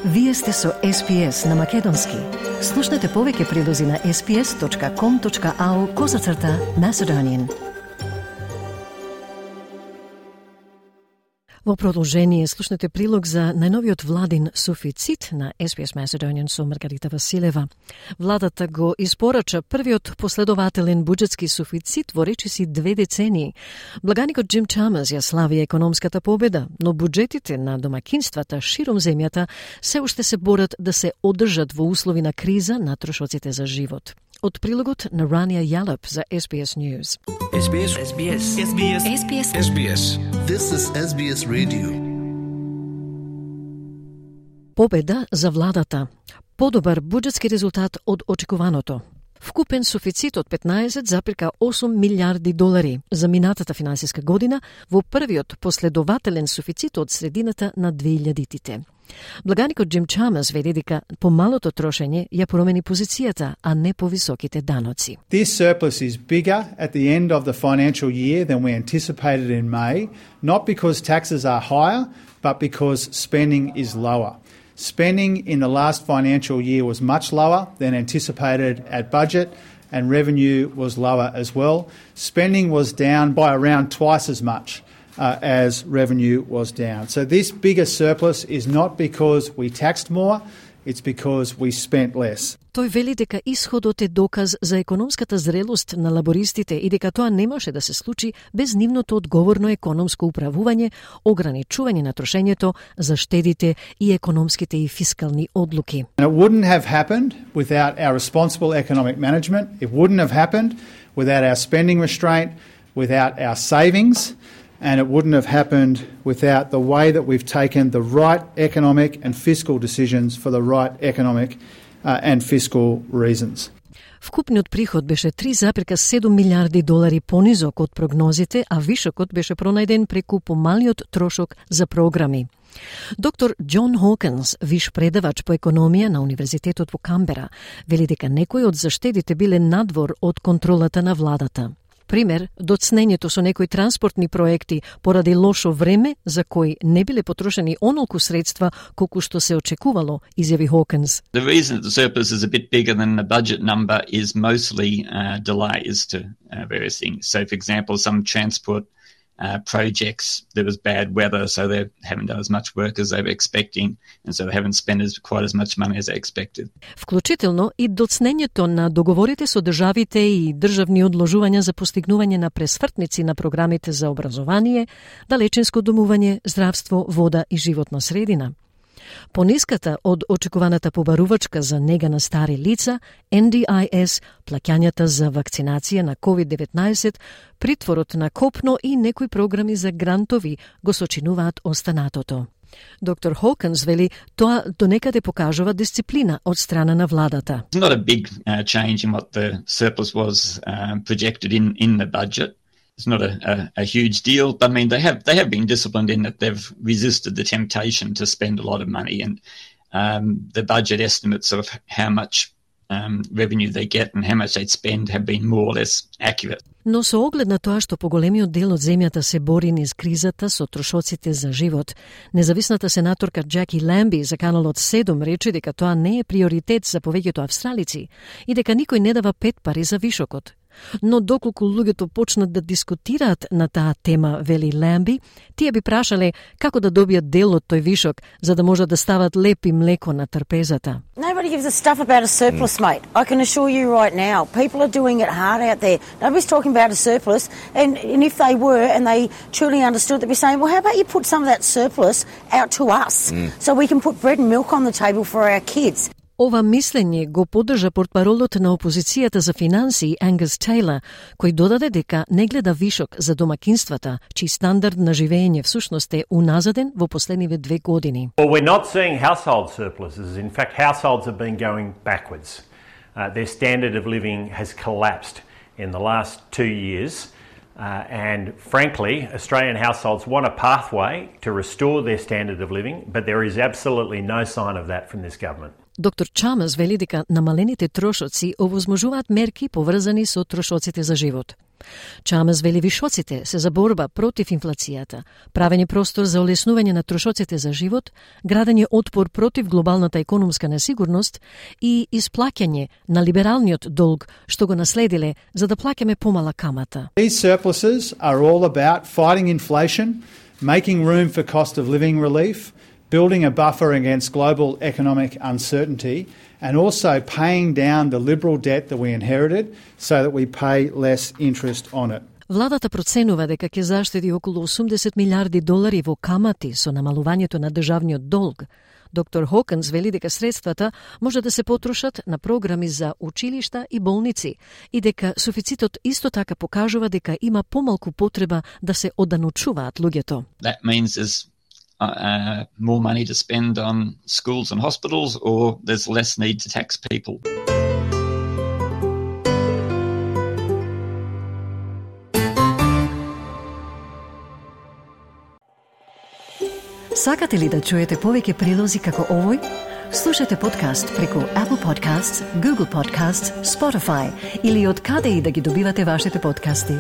Вие сте со SPS на Македонски. Слушнете повеќе прилози на sps.com.au/Macedonian. Во продолжение слушнете прилог за најновиот владин суфицит на SPS Macedonian со Маргарита Василева. Владата го испорача првиот последователен буџетски суфицит во речиси 2 децении. Благаникот Джим Чамерс ја слави економската победа, но буџетите на домакинствата широм земјата се уште се борат да се одржат во услови на криза на трошоците за живот. Од прилогот на Рания Јалеп за SBS News. SBS. SBS. SBS. SBS. SBS. This is SBS Radio. Победа за владата. Подобар буџетски резултат од очекуваното. Вкупен суфицит од 15,8 милиарди долари за минатата финансиска година во првиот последователен суфицит од средината на 2000-тите. Благаникот Джим Чамерс вели дека помалото трошење ја промени позицијата, а не повисоките даноци. This surplus is bigger at the end of the financial year than we anticipated in May, not because taxes are higher, but because spending is lower. Spending in the last financial year was much lower than anticipated at budget, and revenue was lower as well. Spending was down by around twice as much as revenue was down. So this bigger surplus is not because we taxed more, it's because we spent less. Тој вели дека исходот е доказ за економската зрелост на лабористите и дека тоа не може да се случи без нивното одговорно економско управување, ограничување на трошењето, заштедите и економските и фискални одлуки. And it wouldn't have happened without our responsible economic management. It wouldn't have happened without our spending restraint, without our savings, and it wouldn't have happened without the way that we've taken the right economic and fiscal decisions for the right economic and fiscal reasons. Вкупниот приход беше 3,7 милиарди долари понизок од прогнозите, а вишокот беше пронајден преку помалиот трошок за програми. Доктор Џон Хокинс, виш предавач по економија на Универзитетот во Камбера, вели дека некои од заштедите биле надвор од контролата на владата. Пример, доцнењето со некои транспортни проекти поради лошо време за кои не биле потрошени онолку средства колку што се очекувало, изјави Хокинс. The reason that the surplus is a bit bigger than the budget number is mostly delays to various things. So, for example, some transport projects, there was bad weather, so they haven't done as much work as they were expecting, and so they haven't spent quite as much money as they expected. Вклучително и доцнењето на договорите со државите и државни одложувања за постигнување на пресвртници на програмите за образование, далечинско домување, здравство, вода и животна средина. Пониската од очекуваната побарувачка за нега на стари лица, NDIS, плаќањата за вакцинација на COVID-19, притворот на копно и некои програми за грантови го сочинуваат останатото. Доктор Хокинс вели тоа донекаде покажува дисциплина од страна на владата. It's not a big change in what the surplus was projected in the budget. It's not a huge deal, but I mean they have been disciplined in that they've resisted the temptation to spend a lot of money, and the budget estimates of how much revenue they get and how much they'd spend have been more or less accurate. Но со оглед на тоа што поголемиот дел од земјата се бори низ кризата со трошоците за живот, независната сенаторка Джаки Ламби за каналот 7 рече дека тоа не е приоритет за повеќето австралици и дека никој не дава 5 пари за вишокот. Но доколку луѓето почнат да дискутираат на таа тема, вели Ламби, тие би прашале како да добијат дел од тој вишок, за да можат да стават леп и млеко на трпезата. Nobody gives a stuff about a surplus, mate. I can assure you right now, people are doing it hard out there. Nobody's talking about a surplus, and if they were and they truly understood, they'd be saying, well, how about you put some of that surplus out to us so we can put bread and milk on the table for our kids. Ова мислење го поддржа портпаролот на опозицијата за финансии Ангус Тейлор, кој додаде дека не гледа вишок за домакинствата, чиј стандард на живење всушност е уназаден во последниве 2 години. Well, we're not seeing household surpluses. In fact, households have been going backwards. Their standard of living has collapsed in the last 2 years. And frankly, Australian households want a pathway to restore their standard of living, but there is absolutely no sign of that from this government. Доктор Чамерс вели дека намалените трошоци овозможуваат мерки поврзани со трошоците за живот. Чамас вели вишоците се за борба против инфлацијата, правење простор за олеснување на трошоците за живот, градење отпор против глобалната економска несигурност и исплаќање на либералниот долг што го наследиле за да плаќаме помала камата. These surpluses are all about fighting inflation, making room for cost of living relief, building a buffer against global economic uncertainty, and also paying down the liberal debt that we inherited so that we pay less interest on it. Владата проценува дека ќе заштеди околу 80 милиарди долари во камати со намалувањето на државниот долг. Доктор Хокинс вели дека средствата може да се потрошат на програми за училишта и болници и дека суфицитот исто така покажува дека има помалку потреба да се оданучуваат луѓето. That means there's more money to spend on schools and hospitals, or there's less need to tax people. Сакате ли да чуете повеќе прилози како овој? Слушате подкаст преку Apple Podcasts, Google Podcasts, Spotify или од каде и да ги добивате вашите подкасти.